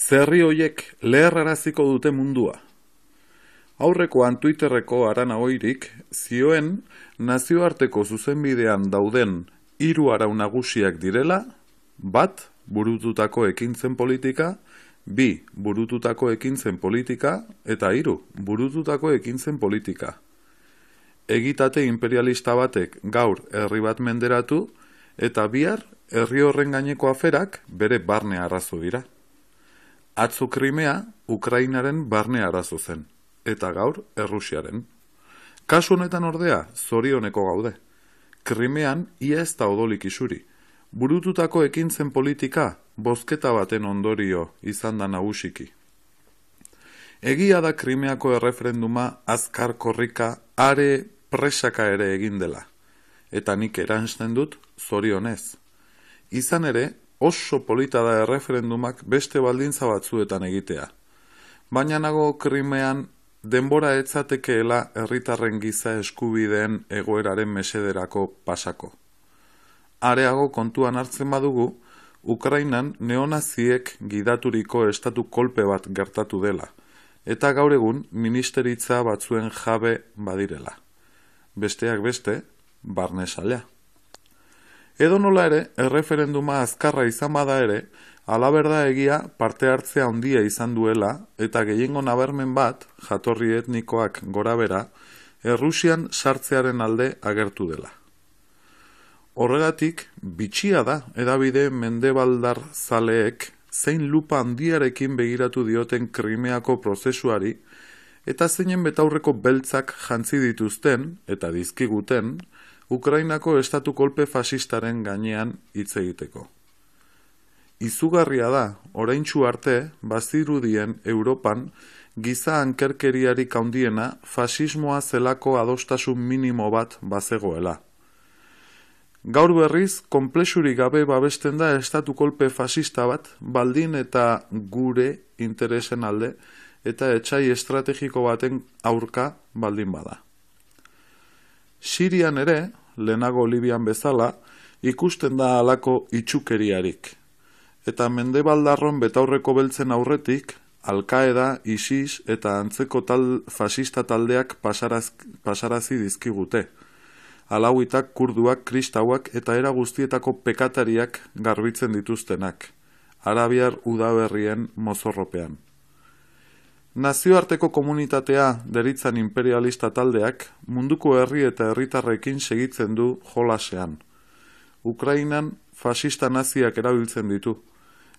Zerri hoiek leherraraziko dute mundua. Aurrekoan Twitterreko Arana Oirik zioen nazioarteko zuzenbidean dauden 3 arau nagusiak direla: 1. Burututako ekintzen politika, 2. Burututako ekintzen politika, eta 3. Burututako ekintzen politika. Egitate imperialista batek gaur herri bat menderatu, eta bihar herri horren gaineko aferak bere barne arazo dira. Atzo Krimea Ukrainaren barne arazo zen, eta gaur Errusiaren. Kasu honetan ordea, zorioneko gaude. Krimean ia ez da odolik isuri. Burututako ekintzen politika bozketa baten ondorio izan da nagusiki. Egia da Krimeako erreferenduma azkar korrika are presaka ere egin dela, eta nik eransten dut zorionez. Izan ere, oso polita da erreferendumak beste baldintza batzuetan egitea. Baina nago Krimean denbora etzatekeela herritarren giza eskubideen egoeraren mesederako pasako. Areago kontuan hartzen badugu, Ukrainan neonaziek gidaturiko estatu kolpe bat gertatu dela, eta gaur egun ministeritza batzuen jabe badirela. Besteak beste, barnesalea. Edonola ere, erreferenduma azkarra izan bada ere, alaberda egia parte hartzea handia izan duela, eta gehiengo nabarmen bat, jatorri etnikoak gorabera, Errusian sartzearen alde agertu dela. Horregatik, bitxia da hedabide mendebaldar zaleek zein lupa handiarekin begiratu dioten Krimeako prozesuari, eta zeinen betaurreko beltzak jantzi dituzten, eta dizkiguten, Ukrainako estatu kolpe fasistaren gainean hitz egiteko. Izugarria da, oraintsu arte, bazirudien Europan giza ankerkeriarik handiena fasismoa zelako adostasun minimo bat bazegoela. Gaur berriz, konplexurik gabe babesten da estatu kolpe fasista bat, baldin eta gure interesen alde, eta etsai estrategiko baten aurka baldin bada. Sirian ere, lehenago Libian bezala, ikusten da halako itxukeriarik. Eta mendebaldarron betaurreko beltzen aurretik, Al-Qaeda, ISIS eta antzeko fasista taldeak pasarazi dizkigute. Alauitak, kurduak, kristauak eta era guztietako pekatariak garbitzen dituztenak, arabiar udaberrien mozorropean. Nazioarteko komunitatea deritzan imperialista taldeak munduko herri eta herritarrekin segitzen du jolasean. Ukrainan fasista naziak erabiltzen ditu,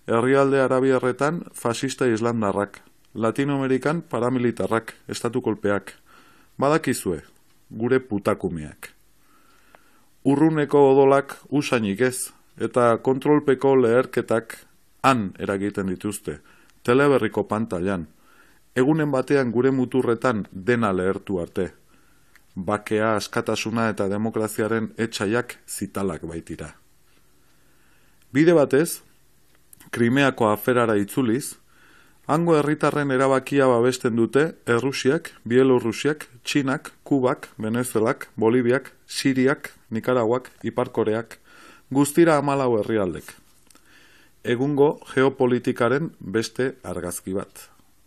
herrialde arabiarretan fasista islandarrak, Latinoamerikan paramilitarrak, estatu kolpeak, badakizue, gure putakumeak. Urruneko odolak usainik ez, eta kontrolpeko leherketak han eragiten dituzte, teleberriko pantailan. Egunen batean gure muturretan dena lehertu arte. Bakea, askatasuna eta demokraziaren etsaiak zitalak baitira. Bide batez, Krimeako aferara itzuliz, hango herritarren erabakia babesten dute Errusiak, Bielorrusiak, Txinak, Kubak, Venezuelak, Boliviak, Siriak, Nikaraguak, Ipar Koreak, guztira 14 herrialdek. Egungo geopolitikaren beste argazki bat.